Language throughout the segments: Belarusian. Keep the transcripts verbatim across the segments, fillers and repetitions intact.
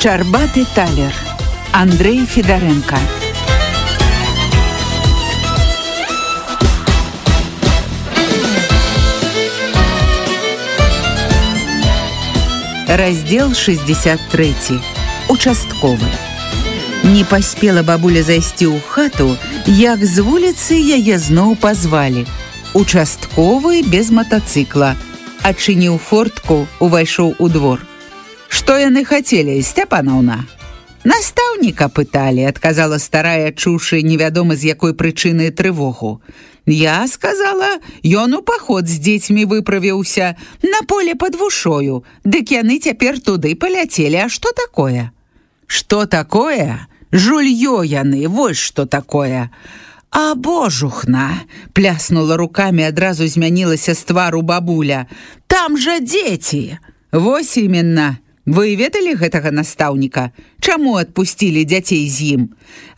Шчарбаты талер. Андрей Федоренко. Раздел шестьдесят три. Участковы. Не паспела бабуля зайсці ў хату, як з вуліцы яе зноў пазвалі. Участковы без матацыкла. Адчыніў фортку, увайшоў у двор. «Што яны хацелі, Сцяпанаўна?» «Настаўніка пыталі», адказала старая, чуўшы невядома з якой прычыны трывогу. «Я сказала, ён у паход з дзецьмі выправіўся на поле пад вушою, дык яны цяпер туды паляцелі, а што такое?» «Што такое? Жульё яны, вось што такое!» «А божухна!» — пляснула рукамі, адразу змянілася з твару бабуля. «Там жа дзеці!» «Вось іменна! Вы ведалі гэтага настаўніка? Чаму адпусцілі дзяцей з ім?»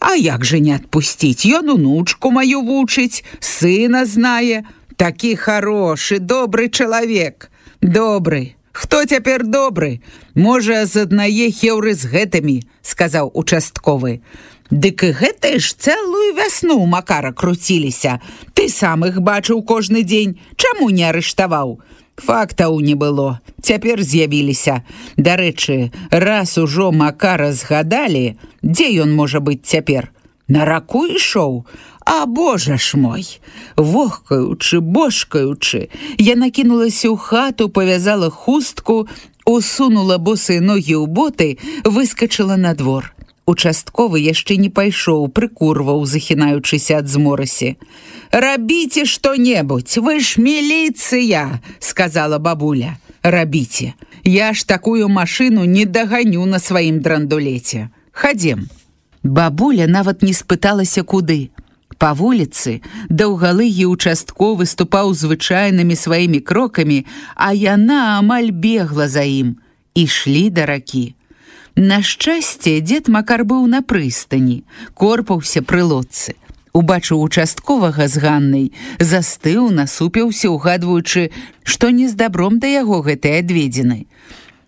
«А як жа не адпусціць? Ён унучку маю вучыць, сына знае. Такі харошы, добры чалавек!» «Добры! Хто цяпер добры? Можа, з аднае хеўры з гэтымі», — сказаў участковы. «Дык і гэтыя ж цэлую вясну ў Макара круціліся. Ты сам іх бачыў кожны дзень. Чаму не арыштаваў?» «Фактаў не было. Цяпер з'явіліся. Дарэчы, раз ужо Макара згадалі, дзе ён можа быць цяпер? На раку ішоў? А божа ж мой!» Вохкаючы, бошкаючы, яна кінулася ў хату, павязала хустку, усунула босыя ногі ў боты, выскачыла на двор. Участковы яшчэ не пайшоў, прыкурваў, захінаючыся ад зморасі. «Рабіце што-небудзь, вы ж міліцыя!» — сказала бабуля. «Рабіце. Я ж такую машыну не даганю на сваім драндулеце. Хадзем». Бабуля нават не спыталася куды. Па вуліцы даўгалыгі участковы ступаў звычайнымі сваімі крокамі, а яна амаль бегла за ім. Ішлі да ракі. На шчасце, дзед Макар быў на прыстані, корпаўся пры лодцы. Убачыў участковага з Ганнай, застыў, насупіўся, угадваючы, што не з дабром да яго гэтай адведзены.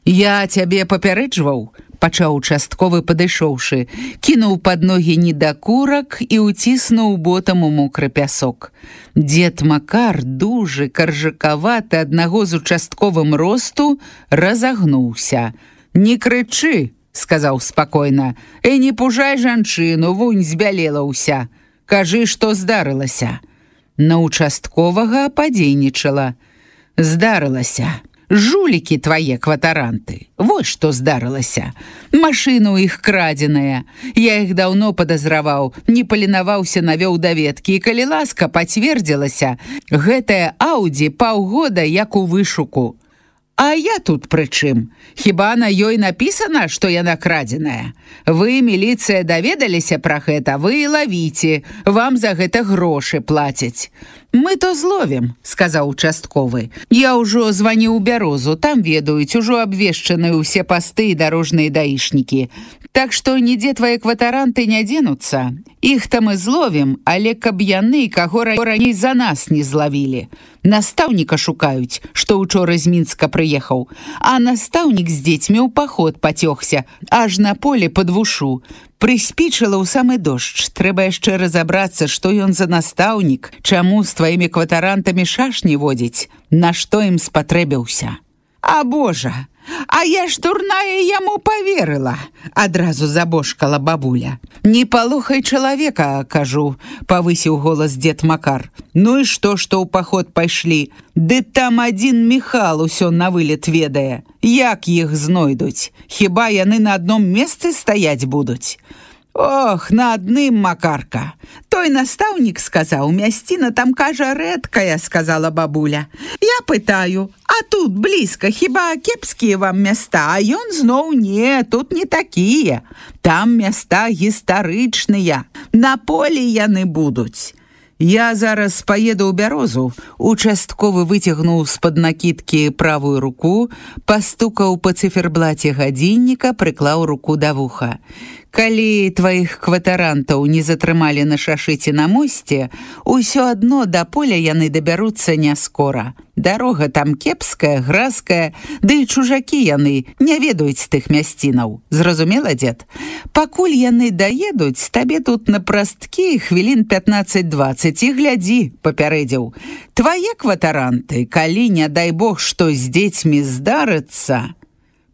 «Я цябе папярэджваў», — пачаў участковы, падышоўшы, кінуў пад ногі недакурак і ўціснуў ботам у мокры пясок. Дзед Макар, дужы, каржакаваты, аднаго з участковым росту, разагнуўся. «Не крычы», — сказаў спакойна, «і не пужай жанчыну, вунь збялела ўся. Кажы, што здарылася». На участковага падзейнічала. «Здарылася. Жулікі твае кватаранты. Вось што здарылася. Машына ў іх крадзеная. Я іх даўно падазраваў, не паленаваўся, навёў даведкі, і калі ласка пацвердзілася, гэтая Аўдзі паўгода як у вышуку. А я тут пры чым? Хіба на ёй напісана, што яна крадзеная? Вы, міліцыя, даведаліся пра гэта, вы лавіце, вам за гэта грошы плацяць». «Мы то зловім», — сказаў участковы. «Я ўжо званіў у Бярозу, там ведаюць, ужо абвешчаны ўсе пасты і дарожныя даішнікі. Так што нідзе твае кватаранты не дзенуцца. Іх там і зловім, але каб яны каго раней за нас не злавілі. Настаўніка шукаюць, што учора з Мінска прыехаў, а настаўнік з дзецьмі ў паход пацёгся, аж на поле пад вушу. Прыспічыла ў самы дождж. Трэба яшчэ разабрацца, што ён за настаўнік, чаму з тваімі кватарантамі шашні водзіць, на што ім спатрэбіўся». «А божа, а я ж дурная яму паверыла», — адразу забошкала бабуля. «Не палохай чалавека, кажу», — павысіў голас дзед Макар. «Ну і што, што ў паход пайшлі? Ды там адзін Міхал усё на вылет ведае. Як іх знойдуць? Хіба яны на адном месцы стаяць будуць?» «Ох, на адным, Макарка. Той настаўнік сказаў, мясціна там, кажа, рэдкая», — сказала бабуля. «Я пытаю, а тут блізка, хіба кепскія вам места? А ён зноў не, тут не такія. Там места гістарычныя, на полі яны будуць». «Я зараз паеду ў Бярозу». Участковы выцягнуў з-пад накідкі правую руку, пастукаў па цыферблаце гадзінніка, прыклаў руку да вуха. «Калі тваіх кватарантаў не затрымалі на шашыце на мосце, усё адно да поля яны дабяруцца не скора. Дарога там кепская, гразкая, ды і чужакі яны не ведаюць тых мясцінаў. Зразумела, дзед? Пакуль яны даедуць, табе тут на прасткі хвілін пятнаццаць-дваццаць і глядзі, папярэдзіў. Твае кватаранты, калі, не дай бог, што з дзецьмі здарыцца...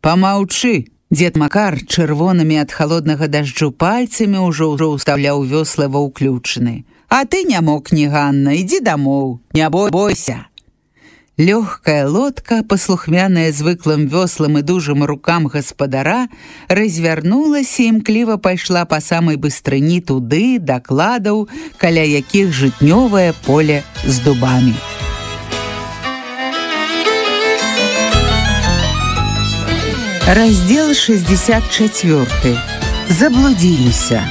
Памаўчы! Дзед Макар чырвонымі ад халоднага дажджу пальцамі ўжо ўжо ўстаўляў вёслы ва ўключаны. А ты не мог, не Ганна, ідзі дамоў, не бойся. Лёгкая лодка, паслухмяная звыклым вёслам і дужым рукам гаспадара, развярнулася і імкліва пайшла па самай быстрыні туды, да кладаў, каля якіх жытнёвае поле з дубамі. Раздел шестьдесят четыре. Заблудзіліся.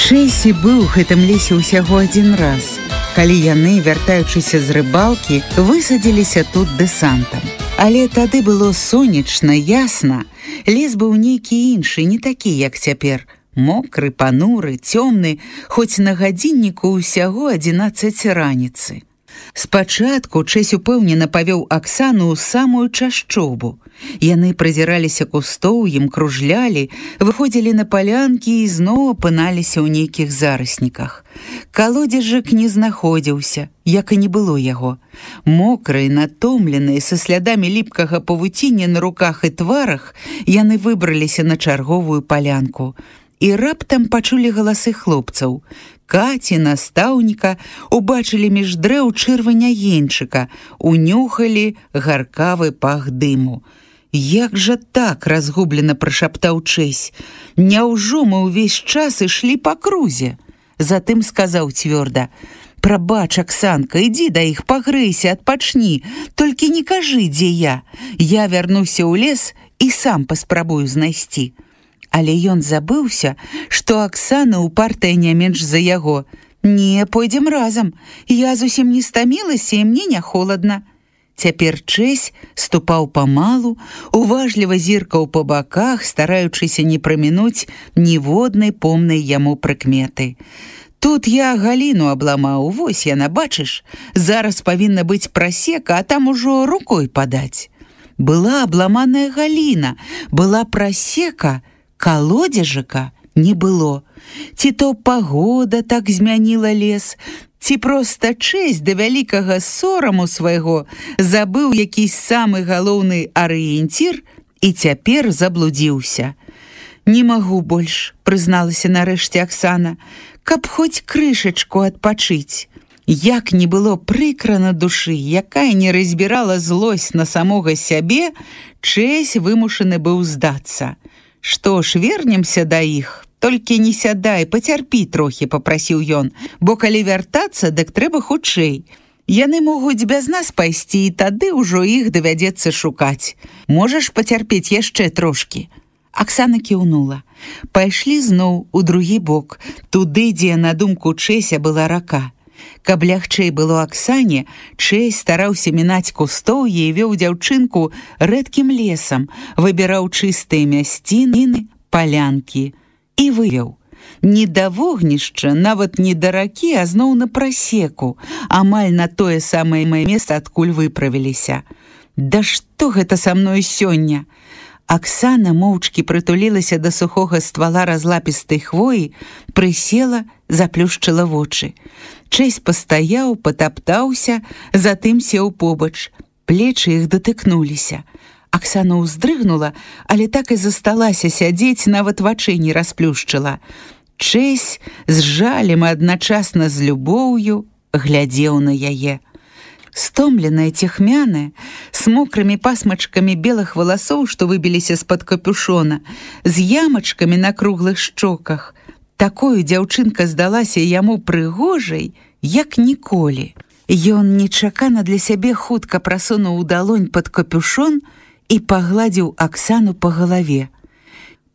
Чэйсі быў у гэтым лесе ўсяго адзін раз, калі яны, вяртаючыся з рыбалкі, высадзіліся тут дэсантам. Але тады было сонечна, ясна, лес быў нейкі іншы, не такі, як цяпер. Мокры, пануры, цёмны, хоць на гадзінніку ўсяго адзінаццаць раніцы. Спачатку Чэсь упэўнена павёў Аксану ў самую чашчобу. Яны празіраліся кустоўем, кружлялі, выходзілі на палянкі і зноў апыналіся ў нейкіх зарасніках. Калодзежак не знаходзіўся, як і не было яго. Мокрыя, натомленыя, са слядамі ліпкага павуціння на руках і тварах, яны выбраліся на чарговую палянку. І раптам пачулі галасы хлопцаў. Каці, настаўніка, убачылі між дрэў чырвань агеньчыка, унюхалі гаркавы пах дыму. Як жа так, разгублена прашаптаў Чэсь. Няўжо мы ўвесь час ішлі па крузе? Затым сказаў цвёрда: «Прабач, Аксанка, ідзі да іх, пагрэйся, адпачні, толькі не кажы, дзе я. Я вярнуся ў лес і сам паспрабую знайсці». Але ён забыўся, што Аксана упартая не менш за яго. «Не, пойдзем разам. Я зусім не стамілася, і мне не холадна». Цяпер Чэсь ступаў памалу, уважліва зіркаў па баках, стараючыся не прамінуць ніводнай помнай яму прыкметы. «Тут я галіну абламаў, вось яна, бачыш? Зараз павінна быць прасека, а там ужо рукой падаць». Была абламаная галіна, была прасека, калодзежака не было. Ці то пагода так змяніла лес, ці проста Чэсь да вялікага сораму свайго забыў якийсь самы галоўны арыенцір і цяпер заблудзіўся. «Не магу больш», прызналася нарэшце Аксана, «каб хоць крышачку адпачыць». Як не было прыкра на душы, якая не разбірала злосць на самога сябе, Чэсь вымушаны быў здацца. «Што ж, вернемся да іх, толькі не сядай, пацярпі трохі», папрасіў ён, «бо калі вяртацца, дык трэба хутчэй. Яны могуць без нас пайсці, і тады ўжо іх давядзецца шукаць. Можаш пацярпець яшчэ трошкі?» Аксана кіўнула. Пайшлі зноў у другі бок, туды, дзе, на думку Чэся, была рака. Каб лягчэй было Аксане, Чэсь стараўся мінаць кустоўе і вёў дзяўчынку рэдкім лесам, выбіраў чыстыя мясціны, палянкі і вывеў. Не да вогнішча, нават не да ракі, а зноў на прасеку, амаль на тое самае месца, адкуль выправіліся. «Да што гэта са мною сёння?» Аксана моўчкі прытулілася да сухога ствала разлапістай хвоі, прысела, заплюшчыла вочы. Чэсь пастаяў, патаптаўся, затым сеў побач. Плечы іх датыкнуліся. Аксана ўздрыгнула, але так і засталася сядзець, нават вачэй не расплюшчыла. Чэсь з жалем і адначасна з любоўю глядзеў на яе. Стомленая, цехмяная, с мокрымі пасмачкамі белых валасоў, што выбіліся з-пад капюшона, з ямачкамі на круглых шчоках. Такою дзяўчынка здалася яму прыгожай, як ніколі. Ён нечакана для сябе хутка прасунуў далонь пад капюшон і пагладзіў Аксану па галаве.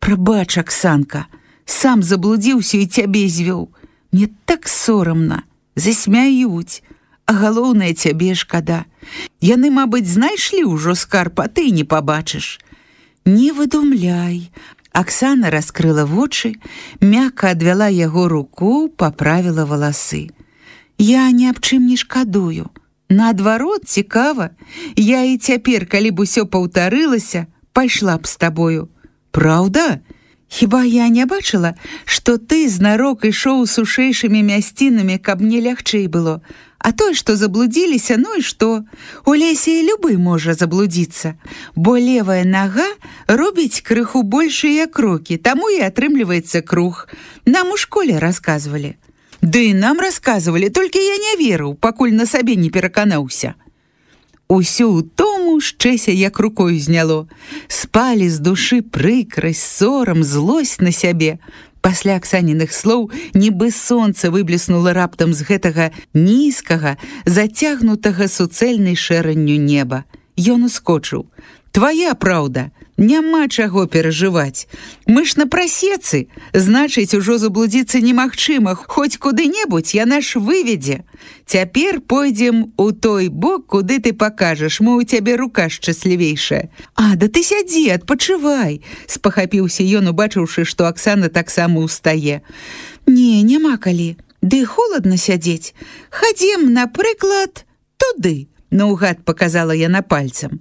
«Прабач, Аксанка, сам заблудзіўся і цябе звёў. Мне так сорамна, засмяюць. А галоўнае, цябе шкада. Яны, мабыць, знайшлі ўжо скарб, а ты не пабачыш». «Не выдумляй». Аксана раскрыла вочы, мякка адвяла яго руку, паправіла валасы. «Я ні аб чым не шкадую. Наадварот, цікава. Я і цяпер, калі б усё паўтарылася, пайшла б з табою. Праўда? Хіба я не бачыла, што ты знарок ішоў сушэйшымі мясцінамі, каб мне лягчэй было. А тое, што заблудзіліся, ну і што? У лесе і любы можа заблудзіцца, бо левая нага робіць крыху большыя крокі, таму і атрымліваецца круг. Нам у школе расказвалі. Ды і нам расказвалі, толькі я не верыў, пакуль на сабе не пераканаўся. Усю ўтому з Чэся як рукою зняло. Спалі з душы прыкрасць, сорам, злосць на сябе. Пасля Аксаніных слоў нібы сонца выбліснула раптам з гэтага нізкага, зацягнутага суцэльнай шэранню неба. Ён ускочыў. Твая праўда, няма чаго перажываць. Мы ж на прасецы, значыць, ужо заблудзіцца немагчыма, хоць куды-небудзь яна ж выведзе. Цяпер пойдзем у той бок, куды ты пакажаш, мо ў цябе рука шчаслівейшая. А, да ты сядзі, адпачывай, спахапіўся ён, убачыўшы, што Аксана таксама ўстае. Не, няма калі, ды холадна сядзець. Хадзем, напрыклад, туды. Наўгад паказала яна пальцам.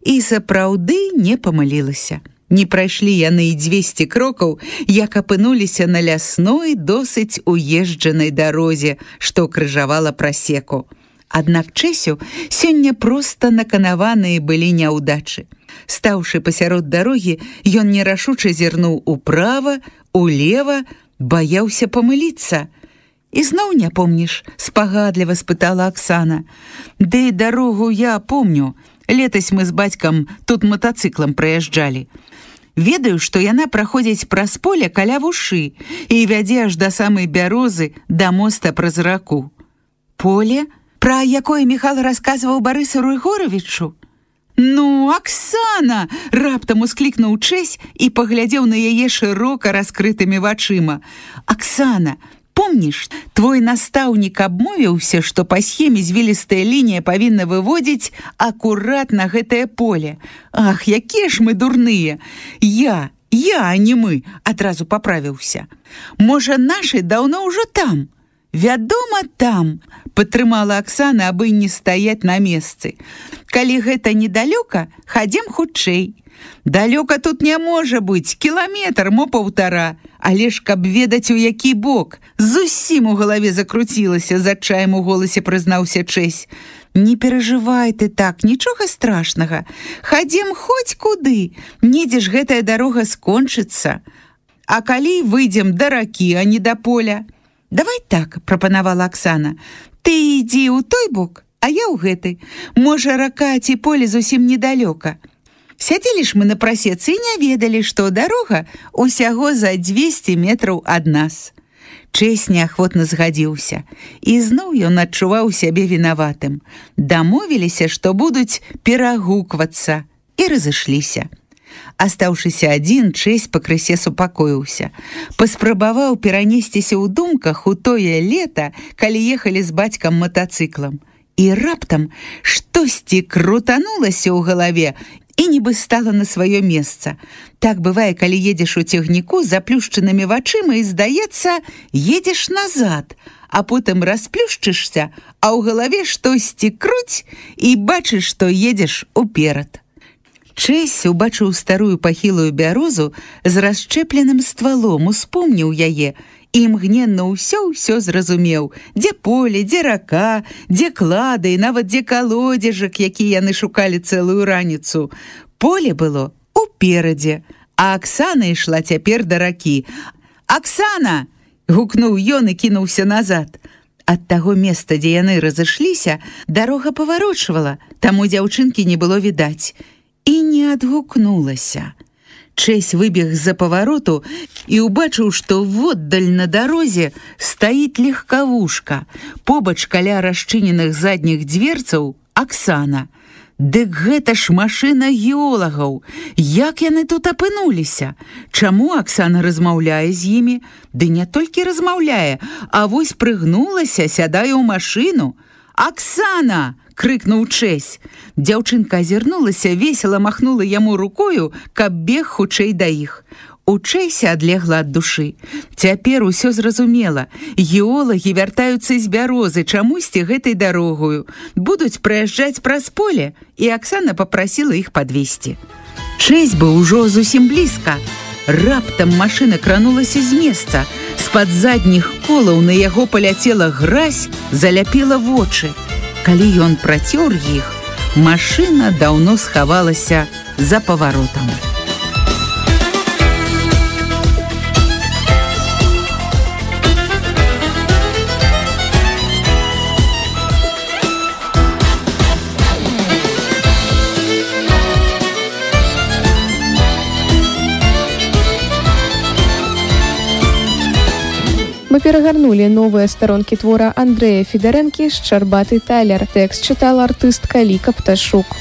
І сапраўды не памылілася. Не прайшлі яны і дзвесце крокаў, як апынуліся на лясной, досыць уезджанай дарозе, што крыжавала прасеку. Аднак Чэсю сёння проста наканаваныя былі няўдачы. Стаўшы пасярод дарогі, ён нерашуча зірнуў управа, улева, баяўся памыліцца. «І зноў не помніш?» – спагадліва спытала Аксана. «Ды дарогу я помню. Летась мы з бацькам тут матацыклам праязджалі. Ведаю, што яна праходзіць праз поле каля вушы і вядзе аж да самай бярозы, да моста праз раку». «Поле? Пра якое Міхал расказваў Барысу Рыгоровічу?» «Ну, Аксана!» – раптам усклікнуў Чэсь і паглядзеў на яе шырока раскрытымі вачыма. «Аксана, помніш, твой настаўнік абмовіўся, што па схеме звілістая лінія павінна выводзіць акурат на гэтае поле. Ах, якія ж мы дурныя! Я, я, а не мы, адразу паправіўся. Можа, нашы даўно ўжо там? Вядома, там!» – падтрымала Аксана, абы не стаяць на месцы. «Калі гэта недалёка, хадзем хутчэй. Далёка тут не можа быць, кіламетр, мо паўтара. Але ж, каб ведаць, у які бок. Зусім у галаве закруцілася, з адчаем у голасе прызнаўся Чэсь. Не перажывай ты так, нічога страшнага. Хадзем хоць куды, недзе ж гэтая дарога скончыцца. А калі выйдзем да ракі, а не да поля?» «Давай так», – прапанавала Аксана. «Ты ідзі ў той бок, а я ў гэты. Можа, рака ці поле зусім недалёка. Сядзелі ж мы на прасецы і не ведалі, што дарога усяго за дзвесце метраў ад нас». Чэсь неахвотна згадзіўся. І зноў ён адчуваў сябе вінаватым. Дамовіліся, што будуць перагуквацца, і разышліся. Астаўшыся адзін, Чэсь пакрысе супакоіўся. Паспрабаваў перанесціся ў думках у тое лета, калі ехалі з бацькам матацыклам. І раптам штосьці крутанулася ў галаве і нібы стала на сваё месца. Так бывае, калі едзеш у цягніку з заплюшчанымі вачыма і, здаецца, едзеш назад, а потым расплюшчышся, а ў галаве штосьці круць і бачыш, што едзеш уперад. Чэсь убачыў старую пахілую бярозу з расчэпленым ствалом, успомніў яе і імгненна ўсё-ўсё зразумеў, дзе поле, дзе рака, дзе клады і нават дзе калодзежак, які яны шукалі цэлую раніцу. Поле было уперадзе, а Аксана ішла цяпер да ракі. «Аксана!» – гукнуў ён і кінуўся назад. Ад таго места, дзе яны разышліся, дарога паварочвала, таму дзяўчынкі не было відаць. І не адгукнулася. Чэсь выбег з-за павароту і ўбачыў, што воддаль на дарозе стаіць легкавушка. Побач каля расчыненых задніх дзверцаў Аксана. Дык гэта ж машына геолагаў. Як яны тут апынуліся? Чаму Аксана размаўляе з імі? Ды не толькі размаўляе, а вось прыгнулася, сядае ў машыну. «Аксана!» – крыкнуў Чэсь. Дзяўчынка азірнулася, весела махнула яму рукою, каб бег хутчэй да іх. Учэйся адлегла ад душы. Цяпер усё зразумела. Геолагі вяртаюцца з бярозы чамусьці гэтай дарогою. Будуць праязджаць праз поле, і Аксана папрасіла іх падвесці. Чэсь быў ужо зусім блізка. Раптам машына кранулася з месца. З-пад задніх колаў на яго паляцела гразь, заляпела вочы. Калі ён працёр іх, машына даўно схавалася за паваротам. Мы перагарнулі новыя старонкі твора Андрэя Федарэнкі «Шчарбаты талер». Тэкст чытала артыстка Ліка Пташук.